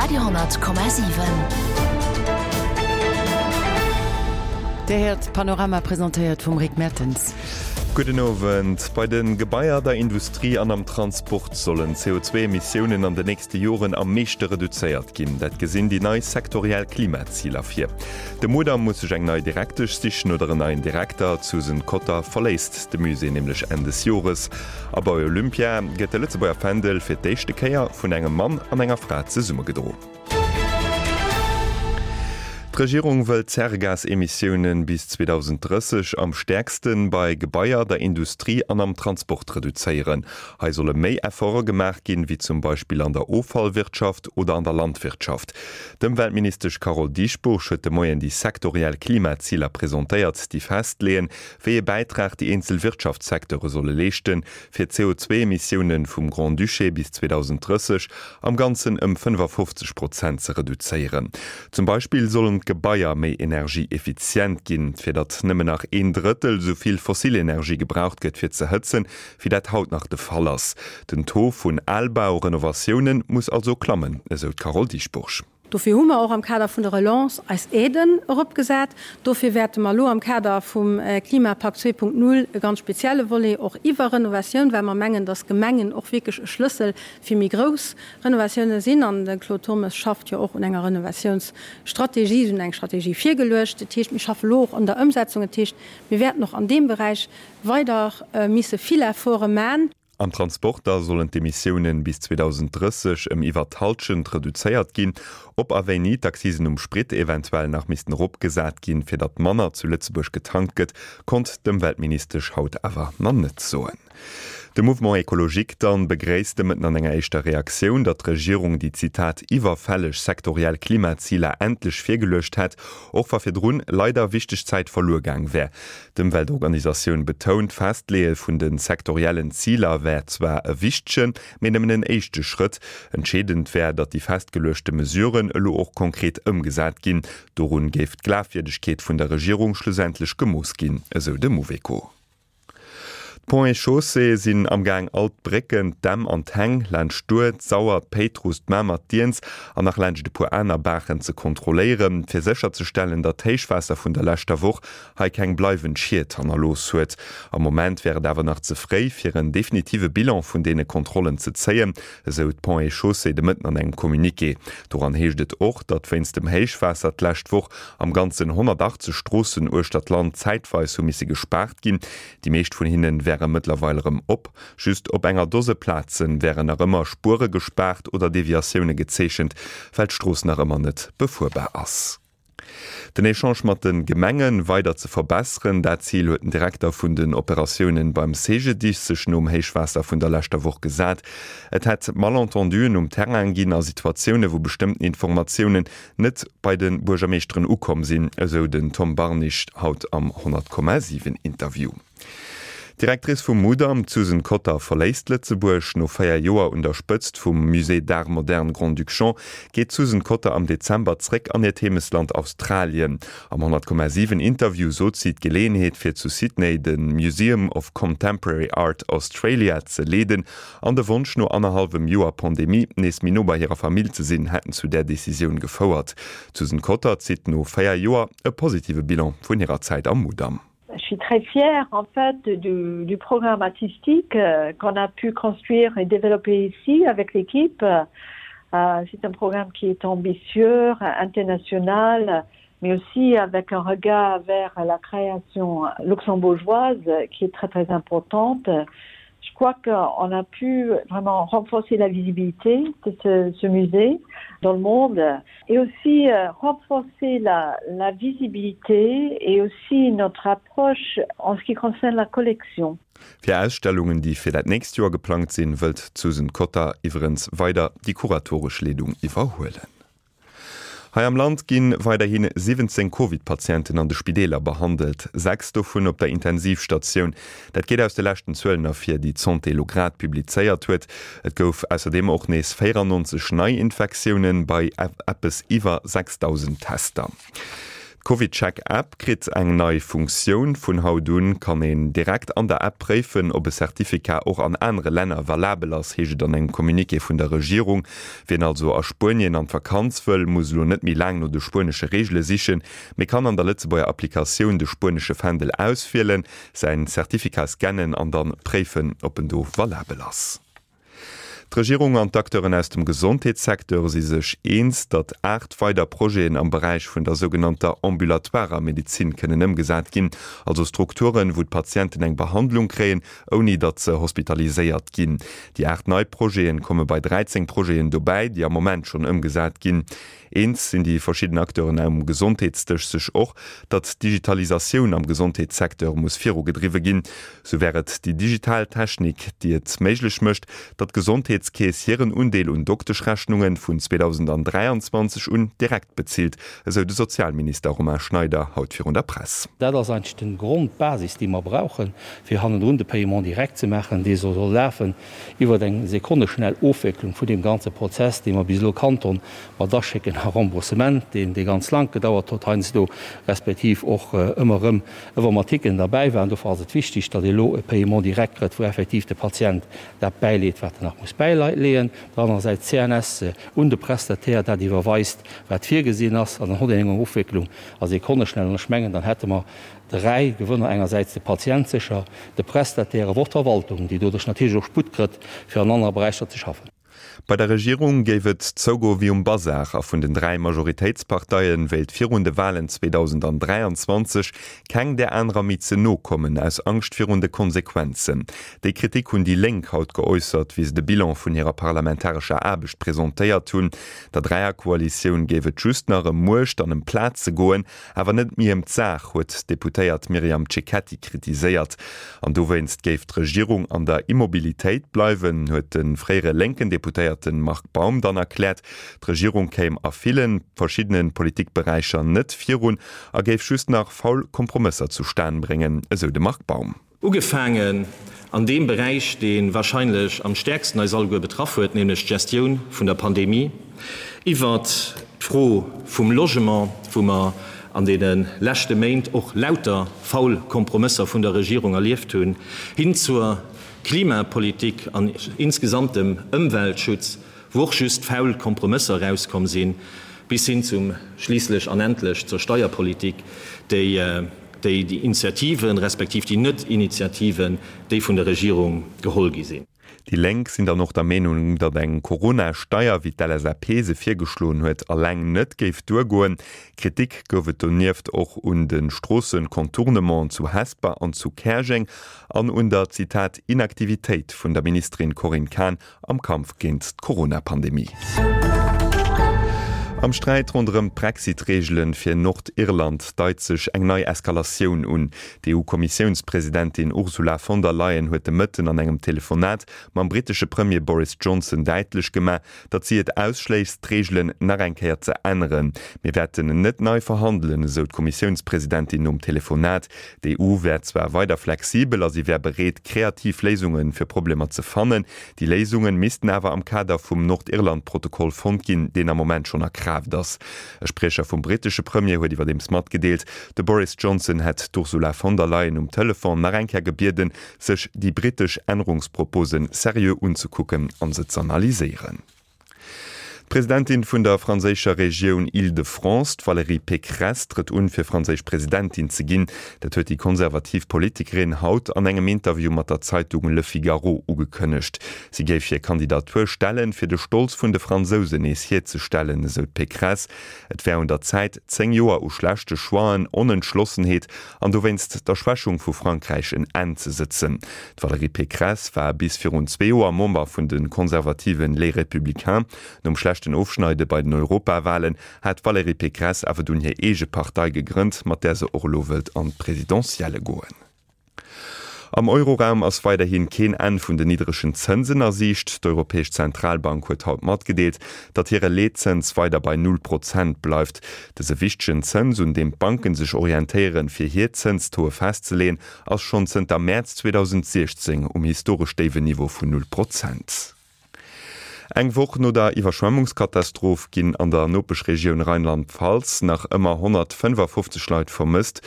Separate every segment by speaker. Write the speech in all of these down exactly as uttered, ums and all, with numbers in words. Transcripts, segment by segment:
Speaker 1: Radio honnert Komma siwen.
Speaker 2: Dir héiert Panorama presentéiert vum Rick Mertens.
Speaker 3: Gudden Owend. Bei de Gebaier, der Industrie an am Transport sollen d'C O zwee Emissiounen an de nächste Joren am meeschte reduzéiert ginn. Dat gesinn déi nei sektoriell Klimaziler vir. De Mudam muss sech eng nei Direktesch sichen oder en neien Direkter. D'Susan Cotter verléisst de Musée nämlech Enn des Jores. A bei Olympia gëtt de Lëtzebuerger Fändel fir d'éischte Kéier vun engem Mann an enger Fra zesumme gedro. D'Regierung wëll d'Zäregasemissiounen bis zweedausenddrësseg am stäerkste bei Gebaier, der Industrie an am Transport reduzéieren. Hei solle méi Efforte gemaach ginn, wéi zum Beispill an der Offallwirtschaft oder an der Landwirtschaft. D'Ëmweltministesch Carole Dieschbourg huet de Moien déi sektoriell Klimaziler presentéiert, déi festleeën, wéi ee Bäitrag déi eenzel Wirtschaftssecteure solle leeschten, fir d'C O zwee Emissioune vum Grand-Duché bis zweedausenddrësseg am Ganzen ëm fënnefafofzeg Prozent ze reduzéieren. Zum Beispill sollen d'Gebaier méi energieeffizient ginn, fir datt nëmmen nach een Drëttel esou vill fossil Energie gebraucht gëtt fir ze hëtzen, wéi dat haut nach de Fall ass. Den Taux vun Albau-Renovatioune muss also klammen, esou d'Carole Dieschbourg.
Speaker 4: Dofir hu mer och am Kader vun der Relance eis Aiden eropgesat. Dofir wäerte mer elo am Kader vum Klimapakt zwee Punkt null e ganz spezielle Volet och iwwer Renovatioun, well mer mengen, dass Gemengen och wierklech e Schlëssel fir méi grouss Renovatiounen sinn. An de Claude Turmes schafft jo och un enger Renovatiounsstrategie. Si hunn eng Strategie virgeluecht. Dat heescht, mir schaffe elo och un der Ëmsetzung. Dat heescht, mir wäerten och an deem Beräich weider misse vill Efforte man.
Speaker 3: Am Transport da sollen d'Emissiounen bis zweedausenddrësseg ëm iwwer d'Hallschent reduzéiert ginn. Ob a wéini d'Accisen um Sprit eventuell nach missten eropgesat ginn, fir datt manner zu Lëtzebuerg getankt gëtt, konnt d'Ëmweltministesch haut awer nach net soen. De Mouvement écologique dann begréisst de Mëtten an enger éischter Reaktioun, datt d'Regierung déi, Zitat, iwwerfälleg sektoriell Klimaziler endlech virgeluecht hätt, och wa virdrun leider wichteg Zäit verluer gaang wär. D'Ëmweltorganisatioun betount, d'Festleeë vun de sektoriellen Ziler wär zwar e wichtegen, mee nëmmen en éischte Schrëtt. Entscheedend wär, datt déi festgeluechte Mesuren elo och konkret ëmgesat ginn. Dorun géif d'Glafwierdegkeet vun der Regierung schlussendlech gemooss ginn, esou de Mouveco. D'Ponts et Chaussées sinn am Gaang all d'Brécken, d'Dämm an d'Häng laanscht d'Our, d'Sauer, d'Péitruss, d'Mamer, d'Iernz an nach laanscht e puer aner Baachen ze kontrolléieren, fir sécherzestellen, datt d'Héichwaasser vun der leschter Woch hei keng bleiwend Schied hannerlooss huet. Am Moment wär et awer nach ze fréi, fir en definitive Bilan vun deene Kontrollen ze zéien, esou d'Ponts et Chaussées de Mëtten an engem Communiqué. Doran heescht et och, datt wéinst dem Héichwaasser d'lescht Woch am Ganzen honnertachtzeg Stroossen uechter d'Land zäitweis hu misse gespaart ginn. Déi meescht vun hinne wäre mëttlerweil erëm op. Just op enger Dose Plaze wären nach ëmmer Spuere gespaart oder Deviatioune gezeechent, well d'Strooss nach ëmmer net befuerbar ass. Den Echange mat de Gemenge weider ze verbesseren, dat Zil huet den Direkter vun den Operatiounen beim C G D I S sech nom Héichwaasser vun der leschter Woch gesat. Et hätt Malentenduen um Terrain ginn a Situatioune wou bestëmmten Informatiounen net bei de Buergermeeschteren ukomm sinn, esou den Tom Barnig haut am honnert Komma siwen Interview. D'Directrice vum Mudam, d'Susan Cotter, verléisst Lëtzebuerg. No véier Joer un der Spëtzt vum Musée d'Art moderne Grand-Duc Jean geet d'Susan Cotter am Dezember zréck an hiert Heemechtsland Australien. Am honnert Komma siwen Interview sot si, d'Geleeënheet fir zu Sydney de Museum of Contemporary Art Australia ze leeden an de Wonsch no annerhallwem Joer Pandemie nees méi no bei hirer Famill ze sinn, hätten zu där Decisioun gefouert. D'Susan Cotter zitt no véier Joer e positive Bilan vun hirer Zäit am Mudam.
Speaker 5: Je suis très fière en fait du, du programme artistique euh, qu'on a pu construire et développer ici avec l'équipe. Euh, c'est un programme qui est ambitieux, international, mais aussi avec un regard vers la création luxembourgeoise qui est très très importante. Je crois qu'on a pu vraiment renforcer la visibilité de ce, ce musée dans le monde et aussi euh, renforcer la, la visibilité et aussi notre approche en ce qui concerne la collection.
Speaker 3: Fir Ausstellungen, déi fir dat nächst Joer geplangt sinn, wëllt d'Susan Cotter iwwerens weider déi kuratoresch Leedung iwwerhuelen. Hei am Land gi weiderhi siwwenzéng Covid-Patienten an de Spideeler behandelt, sechs dovun op der Intensivstatioun. Dat geet aus de leschten Zuelen ervir, déi d'Santé elo grad publizéiert huet. Et gouf ausserdeem och nees véierannonzeg Neiinfektiounen bei eppes iwwer sechsdausend Tester. D'CovidCheck-App kritt eng nei Funktioun. Vun haut un kann een direkt an der App préifen, ob e Certificat och an anere Länner valabel ass, heescht et an engem Communiqué vun der Regierung. Wien also a Spuenien an d'Vakanz wëll, muss elo net méi laang no de spuenesche Reegele sichen, mee kann an der Lëtzebuerger Applikatioun de spuenesche Fändel auswielen, säin Certificat scannen an dann préifen, ob en do valabel ass. D'Regierung an d'Acteuren aus dem Gesondheetssecteur si sech eens, datt aacht weider Projeten am Beräich vun der sougenannter ambulatoirer Medezin kënnen ëmgesat ginn, also Strukturen, wou d'Patienten eng Behandlung kréien, ouni datt se hospitaliséiert ginn. Déi aacht nei Projete komme bei dräizéng Projeten dobäi, déi am Moment schonn ëmgesat ginn. Eens sinn déi verschidden Acteuren um Gesondheetsdësch sech och, datt d'Digitalisatioun am Gesondheetssecteur muss virugedriwwe ginn. Sou wär et déi digital Technik, déi et méiglech mécht, datt d'Gesondheetskeess hiren Undeel un Dokteschrechnunge vun zweedausenddräianzwanzeg un direkt bezilt, esou de Sozialminister Romain Schneider haut virun der Press.
Speaker 1: Dat ass eigentlech den Grondbasis, déi mer brauchen, fir hannendrun de Paiement direct ze maachen, dee soll soll lafen iwwert eng sekonneschnell Ofwécklung vun deem ganze Prozess, dee mer bis elo kannt hunn, mat Aschécken a Remboursement, deen dee ganz laang gedauert huet heiansdo, respektiv och ëmmer erëm Informatiken derbäi waren. Dofir ass et wichtig, datt ee elo e Paiement direct kritt, wou effektiv de Patient dat bäileet, wat en nach muss bäileeën, op der anerer Säit d'CNS un de Prestataire dat iwwerweist, wat virgesinn ass, an dann huet een eng Ofwécklung a Sekonneschnell. An ech mengen, dann hätte mer dräi Gewënner, engersäits de Patient sécher, de Prestataire, awer och d'Verwaltung, déi doduerch natierlech och Sputt kritt, fir an anere Beräicher ze schaffen.
Speaker 3: Bei der Regierung géif et zougoe wéi um Basar a vun den dräi Majoritéitsparteie wéilt virun de Walen zweedausenddräianzwanzeg keng där anerer méi ze no kommen, aus Angscht virun de Konsequenzen. Déi Kritik hunn déi Lénk haut geäussert, wéi se de Bilan vun hirer parlamentarescher Aarbecht presentéiert hunn. Der Dräierkoalitioun géif et just nach ëm Muecht an ëm Plaze goen, awer net méi ëm d'Saach, huet d'Deputéiert Myriam Cecchetti kritiséiert. An dowéinst géif d'Regierung an der Immobilitéit bleiwen, huet de fréiere lénken Deputéierte Marc Baum dann erkläert. D'Regierung kéim a ville verschiddene Politikberäicher net virun a géif just nach faul Kompromësser zustan bréngen, esou de Marc Baum.
Speaker 6: Ugefaangen an deem Beräich, dee warscheinlech am stäerksten eis alleguer betraff huet, nämlech d'Gestioun vun der Pandemie, iwwert d'Fro vum Logement, wou mer an deene leschte Méint och lauter faul Kompromësser vun der Regierung erlieft hunn, hin zur Klimapolitik an insgesamt dem Ëmweltschutz, wou och just faul Kompromësser erauskomm sinn, bis hin zum schliisslech an endlech zur Steierpolitik, déi déi Initiativen, respektiv déi Net-Initiativen, déi vun der Regierung geholl gi sinn.
Speaker 3: Déi Lénk sinn dann och der Meenung, datt eng Corona-Steier, wéi d'L S A P se virgeschloen huet, alleng net géif duergoen. Kritik gouf et donieft och un de Stroossen-Contournementen zu Hesper an zu Käerjeng an un der, Zitat, Inaktivitéit vun der Ministerin Corinne Cahen am Kampf géint d'Corona-Pandemie. Am Sträit ronderëm d'Brexit-Reegele fir Nordirland deit sech eng nei Eskalatioun un. D'EU-Kommissiounspresidentin Ursula von der Leyen huet de Mëtten an engem Telefonat mam brittesche Premier Boris Johnson däitlech gemaach, datt si et ausschléisst, d'Reegelen nach eng Kéier ze änneren. Mir wäerten net nei verhandelen, esou d'Kommissiounspresidentin nom Telefonat. D'E U wär zwar weider flexibel a si wär bereet, kreativ Léisunge fir Problemer ze fannen. Déi Léisunge missten awer am Kader vum Nordirland-Protokoll fonnt ginn, deen am Moment schonn a Kraaft ass. E Spriecher vum brittesche Premier huet iwwerdeems matgedeelt, de Boris Johnson hätt d'Ursula von der Leyen um Telefon nach eng Kéier gebieden, sech déi brittesch Ännerungsproposen seriö unzekucken an se z'analyséieren. D'Presidentin vun der franséischer Regioun Île-de-France, d'Valérie Pécresse, trëtt un, fir franséisch Presidentin ze ginn. Dat huet déi konservativ Politikerin haut an engem Interview mat der Zeitung Le Figaro ugekënnegt. Si géif hir Kandidatur stellen, fir de Stolz vun de Fransousen nees hierzestellen, esou d'Pécresse. Et wär un der Zäit, zéng Joer u schlechte Choixen, Onentschlossenheet an dowéinst der Schwächung vu Frankräich en Enn ze sëtzen. D'Valérie Pécresse war bis virun zwee Joer Member vun de konservativen Les Républicains. Nom schlechten Ofschneide bei den Europawalen hat d'Valérie Pécresse awer dunn hir eege Partei gegrënnt, mat där se och elo wëllt an d'Presidentielle goen. Am Euroraum ass weiderhi keen Enn vun den niddregen Zënsen a Siicht. D'Europäesch Zentralbank huet haut matgedeelt, datt hire Leetzëns weider bei null Prozent bleift. Dëse wichtegen Zëns, un deem d'Banke sech orientéieren, fir hir Zënstoe festzeleeën, ass schonn zënter Mäerz zweedausendsiechzéng um historesch déiwen Niveau vun null Prozent. Eng Woch no der Iwwerschwemmungskatastroph ginn an der Nopeschregioun Rheinland-Pfalz nach ëmmer honnertfënnefafofzeg Leit vermësst.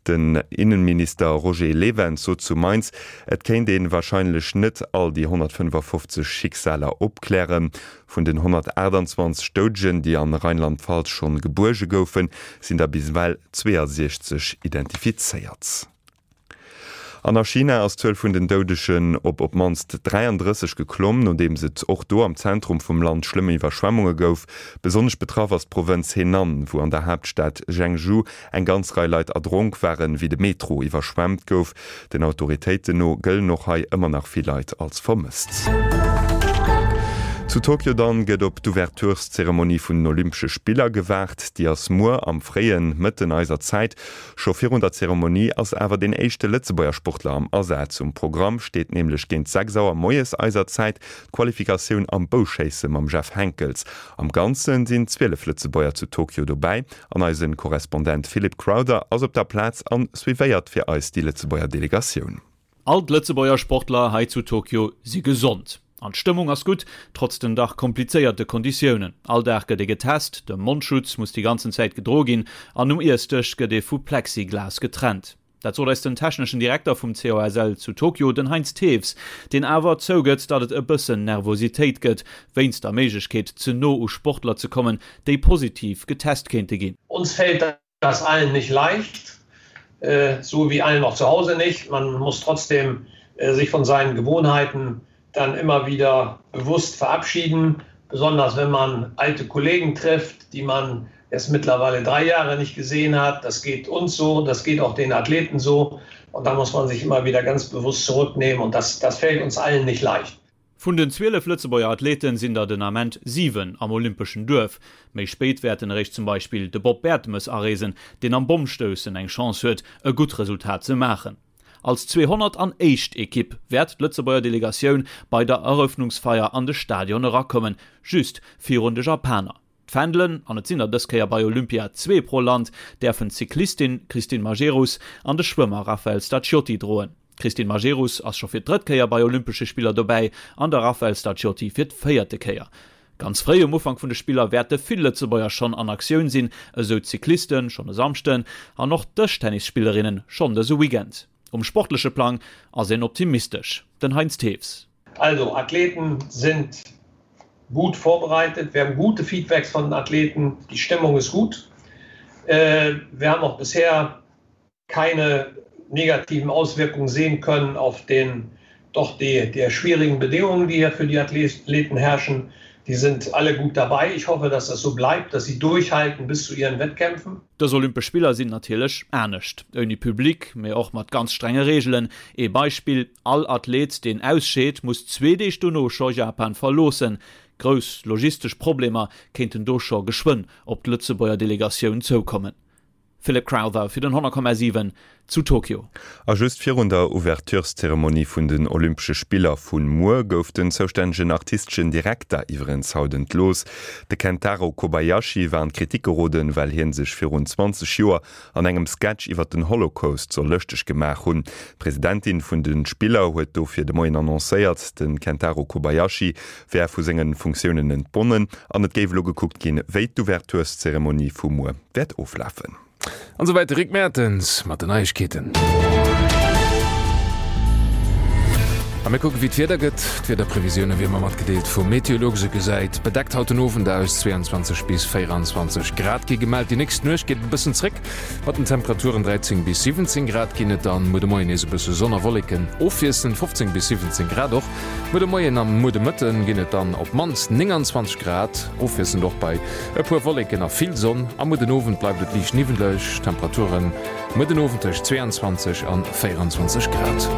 Speaker 3: Den Innenminister Roger Lewens sot zu Mainz, et kéint ee warscheinlech net all déi honnertfënnefafofzeg Schicksaler opklären. Vun den honnertaachtanzwanzeg Doudegen, déi an Rheinland-Pfalz schonn gebuerge goufen, sinn der bis ewell zweeësiechzeg identifizéiert. An a China ass d'Zuel vun den Doudegen op op d'mannst dräiandrësseg geklomm, nodeems et och do am Zentrum vum Land schlëmm Iwwerschwemmunge gouf. Besonnesch betraff ass d'Provënz Henan, wou an der Haaptstad Zhengzhou eng ganz Rei Leit erdronk waren, wéi de Metro iwwerschwemmt gouf. Den Autoritéiten no gëllen och hei ëmmer nach vill Leit als vermësst. Zu Tokio dann gëtt op d'Ouvertureszeremonie vun den Olympesche Spiller gewaart. Déi ass muer am fréien Mëtten eiser Zäit. Scho virun der Zeremonie ass awer deen éischte Lëtzebuerger Sportler am Asaz. Um Programm steet nämlech géint sechs Auer moies eiser Zäit d'Qualifikatioun am Bouschéisse mam Jeff Henckels. Am Ganze sinn zwielef Lëtzebuerger zu Tokio dobäi an eise Korrespondent Philip Crowther ass op der Plaz an suivéiert fir eis déi Lëtzebuerger Delegatioun.
Speaker 7: All d'Lëtzebuerger Sportler hei zu Tokio si gesond. An d'Stëmmung ass gutt, trotz den dach komplizéierte Konditiounen. All Dag gëtt ee getest, de Mondschutz muss déi ganzen Zäit gedroe ginn an um Iessdësch gëtt ee vu Plexiglas getrennt. Dat sot eis den techneschen Direkter vum C O S L zu Tokio, den Heinz Thews, deen awer zougëtt, datt et e bëssen Nervositéit gëtt, wéinst der Méiglechkeet, ze no u Sportler ze kommen, déi positiv getest kéinte ginn.
Speaker 8: Uns fällt das allen nicht leicht, so wie allen auch zu Hause nicht. Man muss trotzdem sich von seinen Gewohnheiten dann immer wieder bewusst verabschieden, besonders wenn man alte Kollegen trifft, die man erst mittlerweile drei Jahre nicht gesehen hat. Das geht uns so, das geht auch den Athleten so und da muss man sich immer wieder ganz bewusst zurücknehmen und das, das fällt uns allen nicht leicht.
Speaker 7: Vun den zwielef Lëtzebuerger Athleten sinn der den Ament siwen am olympeschen Duerf. Méi spéit wäerten eréischt zum Beispill de Bob Bertemes areesen, deen am Bommstoussen eng Chance huet, e gutt Resultat ze maachen. Als zweehonnert an éischt Ekipp wäert d'Lëtzebuerger Delegatioun bei der Erëffnungsfeier an de Stadion erakommen, just virun de Japaner. D'Fändelen, an et sinn der dës Kéier bei Olympia zwee pro Land, däerfen d'Cyclistin Christine Majerus an de Schwëmmer Raphael Stacchiotti droen. D'Christine Majerus ass scho fir d'drëtt Kéier bei Olympesche Spiller dobäi an de Raphael Stacchiotti fir d'véierte Kéier. Ganz fréi um Ufank vun de Spiller wäerte vill Lëtzebuerger schonn an Aktioun sinn, esou d'Cyclisten schonn e Samschden an och d'Dëschtennisspillerinnen schonn dëse Weekend. Um sportleche Plang ass een optimistesch, den Heinz Thews.
Speaker 8: Also Athleten sind gut vorbereitet, wir haben gute Feedbacks von den Athleten, die Stimmung ist gut. Wir haben auch bisher keine negativen Auswirkungen sehen können auf den doch die, der schwierigen Bedingungen, die hier für die Athleten herrschen. Die sind alle gut dabei. Ich hoffe, dass das so bleibt, dass sie durchhalten bis zu ihren Wettkämpfen.
Speaker 7: Dës Olympesch Spiller sinn natierlech anescht. Ouni Public, mee och mat ganz strenge Reegelen. Ee Beispill, All Athlet, deen ausscheet, muss zwee Deeg dono scho Japan verloossen. Grouss logistesch Problemer kéinten do scho geschwënn op d'Lëtzebuerger Delegatioun zoukommen. Philip Crowther fir den honnert Komma siwen zu Tokio.
Speaker 3: A just virun der Ouvertureszeremonie vun den Olympesche Spiller vu muer gouf den zoustännegen artisteschen Direkter iwwerens haut entlooss. De Kentaro Kobayashi war an d'Kritik geroden, well hie sech virun zwanzeg Joer an engem Sketch iwwer den Holocaust soll lëschteg gemaach hunn. D'Presidentin vun de Spiller huet dofir de Moien annoncéiert, de Kentaro Kobayashi wär vu senge Funktiounen entbonnen an et géif elo gekuckt ginn, wéi d'Ouvertureszeremonie vu muer wäert oflafen.
Speaker 9: An souwäit de Rick Mertens mat den Neiegkeeten. A mir kucken, wéi d'Wieder gëtt. D'Wiederprevisioune wéi ëmmer matgedeelt vum Meteolux. Et gesäit bedeckt haut den Owend aus, zweiundzwanzeg bis véierundzwanzeg Grad gi gemellt. Déi nächst Nuecht geet et e bëssen zréck mat den Temperaturen, dräizéng bis siwwenzéng Grad ginn et dann. Muer de Moien nees e bësse Sonn a Wolleken ofwiesselnd, fofzéng bis siwwenzéng Grad. Och muer de Moien a muer de Mëtten ginn et dann op d'mannst nénganzwanzeg Grad, ofwiesselnd och bei e puer Wolleken a vill Sonn. A muer den Owend bleift et liicht niwweleg, Temperaturen muer den Owend tëscht zweeanzwanzeg an véierundzwanzeg Grad.